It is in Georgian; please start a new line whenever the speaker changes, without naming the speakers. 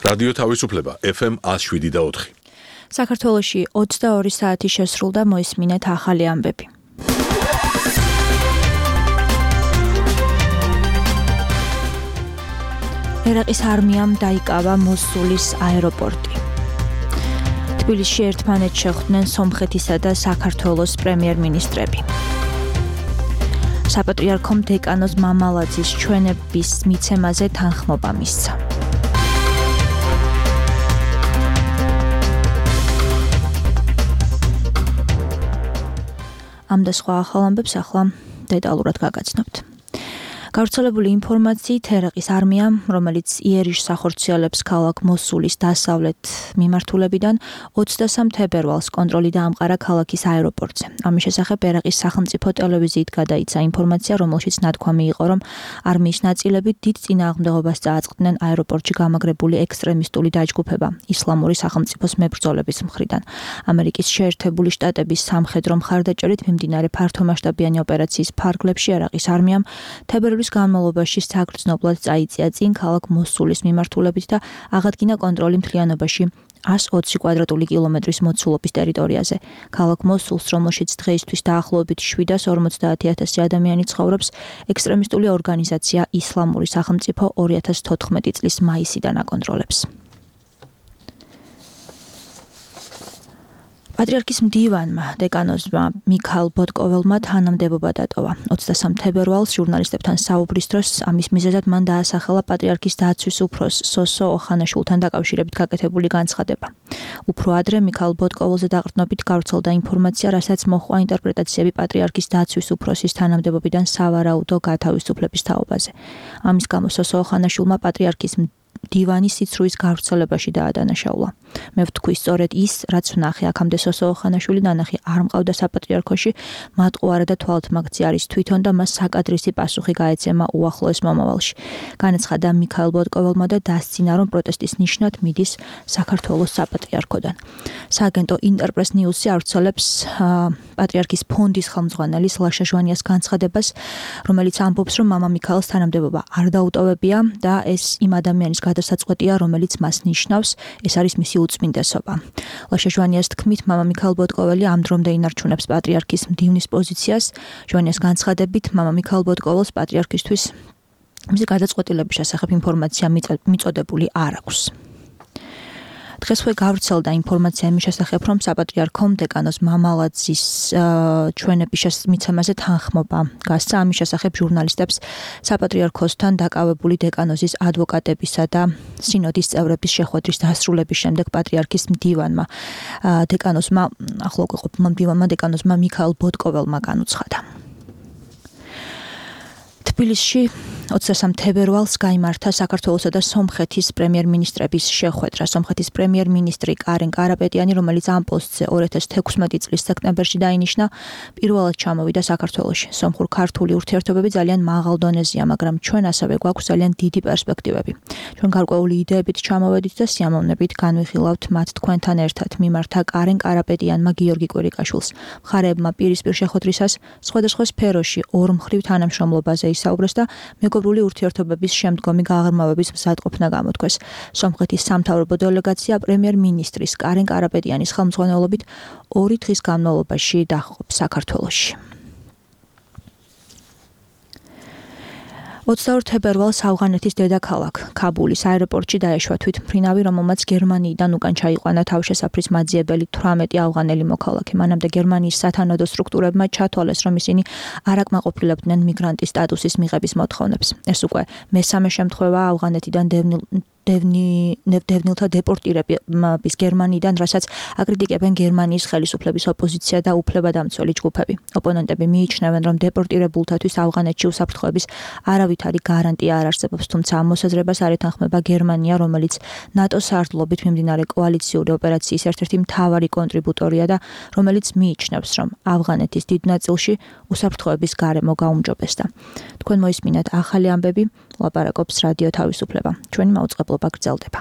რადიო თავისუფლება FM 107.4.
საქართველოში 22 საათი შესრულდა, მოისმინეთ ახალი ამბები. ერაყის არმიამ დაიკავა მოსულის აეროპორტი. თბილისში ერთმანეთს შეხვდნენ სომხეთისა და საქართველოს პრემიერ-მინისტრები. საპატრიარქომ დეკანოს მამალაძის ჩვენების მიცემაზე თანხმობა მისცა. ამ და სხვა ახალ ამბებს ახლა დეტალურად გაგაცნობთ. გავრცელებული ინფორმაციით ერაყის არმიამ, რომელიც იერიშს ახორციელებს ქალაქ მოსულის დასავლეთ მიმართულებიდან 23 თებერვალს კონტროლი დაამყარა ქალაქის აეროპორტზე. ამის შესახებ ერაყის სახელმწიფო ტელევიზიით გადაიცა ინფორმაცია, რომელშიც ნათქვამი იყო, რომ არმიის ნაწილები დიდ წინააღმდეგობას წააწყდნენ აეროპორტში გამაგრებული ექსტრემისტული დაჯგუფება ისლამური სახელმწიფოს მებრძოლების მხრიდან. ამერიკის შეერთებული შტატების სამხედრო მხარდაჭერით მიმდინარე ფართომასშტაბიანი ოპერაციის ფარგლებში ერაყის არმიამ თებერვლის განმავლობაში საგრძნობლად წაიწია წინ ქალაქ მოსულის მიმართულებით და აღადგინა კონტროლი მთლიანობაში 120 კვადრატული კილომეტრის მოცულობის ტერიტორიაზე. ქალაქ მოსულს, რომელშიც დღეისთვის დაახლოებით 750,000 ადამიანი ცხოვრობს, ექსტრემისტული ორგანიზაცია ისლამური სახელმწიფო 2014 წლის მაისიდან აკონტროლებს. პატრიარქის მდივანმა დეკანოზმა მიქაილ ბოტკოველმა თანამდებობა დატოვა. 23 თებერვალს ჟურნალისტებთან საუბრის დროს ამის მიზეზად მან დაასახელა პატრიარქის დაცვის უფროს სოსო ოხანაშვილთან დაკავშირებით გაკეთებული განცხადება. უფრო ადრე მიქაილ ბოტკოველზე დაყრდნობით გავრცელდა ინფორმაცია, რასაც მოჰყვა ინტერპრეტაციები პატრიარქის დაცვის უფროსის თანამდებობიდან სავარაუდო გათავისუფლების თაობაზე. ამის გამო სოსო ოხანაშვილმა პატრიარქის დივანის სიცრუის გავრცელებაში დაადანაშაულა. მე ვთქვი, სწორედ ის, რაც ვნახე აქამდე სოსო ოხანაშვილი ნანახი არ მყავდა საპატრიარქოში, მატყუარა და თვალთმაგცი არის თვითონ და მას საკადრისი პასუხი გაეცემა უახლოეს მომავალში. განაცხადა მიქაილ ბოტკოველმა და დასცინა, რომ პროტესტის ნიშნად მიდის საქართველოს საპატრიარქოდან. სააგენტო ინტერპრეს ნიუსი ავრცელებს პატრიარქის ფონდის ხელმძღვანელის ლაშა ჟვანიას განცხადებას, რომელიც ამბობს, რომ მამა მიქაილს თანამდებობა არ დაუტოვებია და ეს იმ ადამიანის გადასაწყვეტია, რომელიც მას ნიშნავს, ეს არის მისი უწმინდესობა. ლაშა ჟვანიას თქმით, მამა მიქაილ ბოტკოველი ამ დრომდე ინარჩუნებს პატრიარქის მდივნის პოზიციას. ჟვანიას განცხადებით, მამა მიქაილ ბოტკოველს პატრიარქისთვის მისი გადაწყვეტილების შესახებ ინფორმაცია მიწოდებული არ აქვს. დღესვე გავრცელდა ინფორმაცია იმის შესახებ, რომ საპატრიარქომ დეკანოს მამალაძის ჩვენების მიცემაზე თანხმობა გასცა. ამის შესახებ ჟურნალისტებს საპატრიარქოსთან დაკავებული დეკანოზის ადვოკატებისა და სინოდის წევრების შეხვედრის დასრულების შემდეგ პატრიარქის მდივანმა დეკანოზმა მიქაილ ბოტკოველმა განუცხადა. თბილისში 23 თებერვალს გაიმართა საქართველოსა და სომხეთის პრემიერ-მინისტრების შეხვედრა. სომხეთის პრემიერ-მინისტრი კარენ კარაპეტიანი, რომელიც ამ პოსტზე 2016 წლის სექტემბერში დაინიშნა, პირველად ჩამოვიდა საქართველოში. სომხურ-ქართული ურთიერთობები ძალიან მაღალ დონეზეა, მაგრამ ჩვენ ასევე გვაქვს ძალიან დიდი პერსპექტივები. ჩვენ გარკვეული იდეებით ჩამოვედით და სიამოვნებით განვიხილავთ მათ თქვენთან ერთად, მიმართა კარენ კარაპეტიანმა გიორგი კვირიკაშვილს. მხარეებმა პირისპირ შეხვედრისას სხვადასხვა სფეროში ორმხრივ თანამშრომლობაზე ისაუბრეს და მეგობრული ურთიერთობების შემდგომი გაღრმავების მზადყოფნა გამოთქვეს. სომხეთის სამთავრობო დელეგაცია პრემიერ-მინისტრის კარენ კარაპეტიანის ხელმძღვანელობით 2 დღის განმავლობაში დახობს საქართველოში. 22 თებერვალს ავღანეთის დედაქალაქ ქაბულის აეროპორტში დაეშვა თვითმფრინავი, რომელმაც გერმანიიდან უკან ჩაიყვანა თავშესაფრის მაძიებელი 18 ავღანელი მოქალაქე. მანამდე გერმანიის სათანადო სტრუქტურებმა ჩათვალეს, რომ ისინი არ აკმაყოფილებდნენ მიგრანტის სტატუსის მიღების მოთხოვნებს. ეს უკვე მესამე შემთხვევაა ავღანეთიდან დევნილთა დეპორტირების გერმანიიდან, რასაც აკრიტიკებენ გერმანიის ხელისუფლების ოპოზიცია და უფლებადამცველი ჯგუფები. ოპონენტები მიიჩნევენ, რომ დეპორტირებულთათვის ავღანეთში უსაფრთხოების არავითარი გარანტია არ არსებობს, თუმცა ამ მოსაზრებას არ ეთანხმება გერმანია, რომელიც ნატოს სარდლობით მიმდინარე კოალიციური ოპერაციის ერთ-ერთი მთავარი კონტრიბუტორია და რომელიც მიიჩნევს, რომ ავღანეთის დიდ ნაწილში უსაფრთხოების გარემო გაუმჯობესდა. თქვენ მოისმინეთ ახალი ამბები, ლაპარაკობს რადიო თავისუფლება. ჩვენი მაუწყებლობა გრძელდება.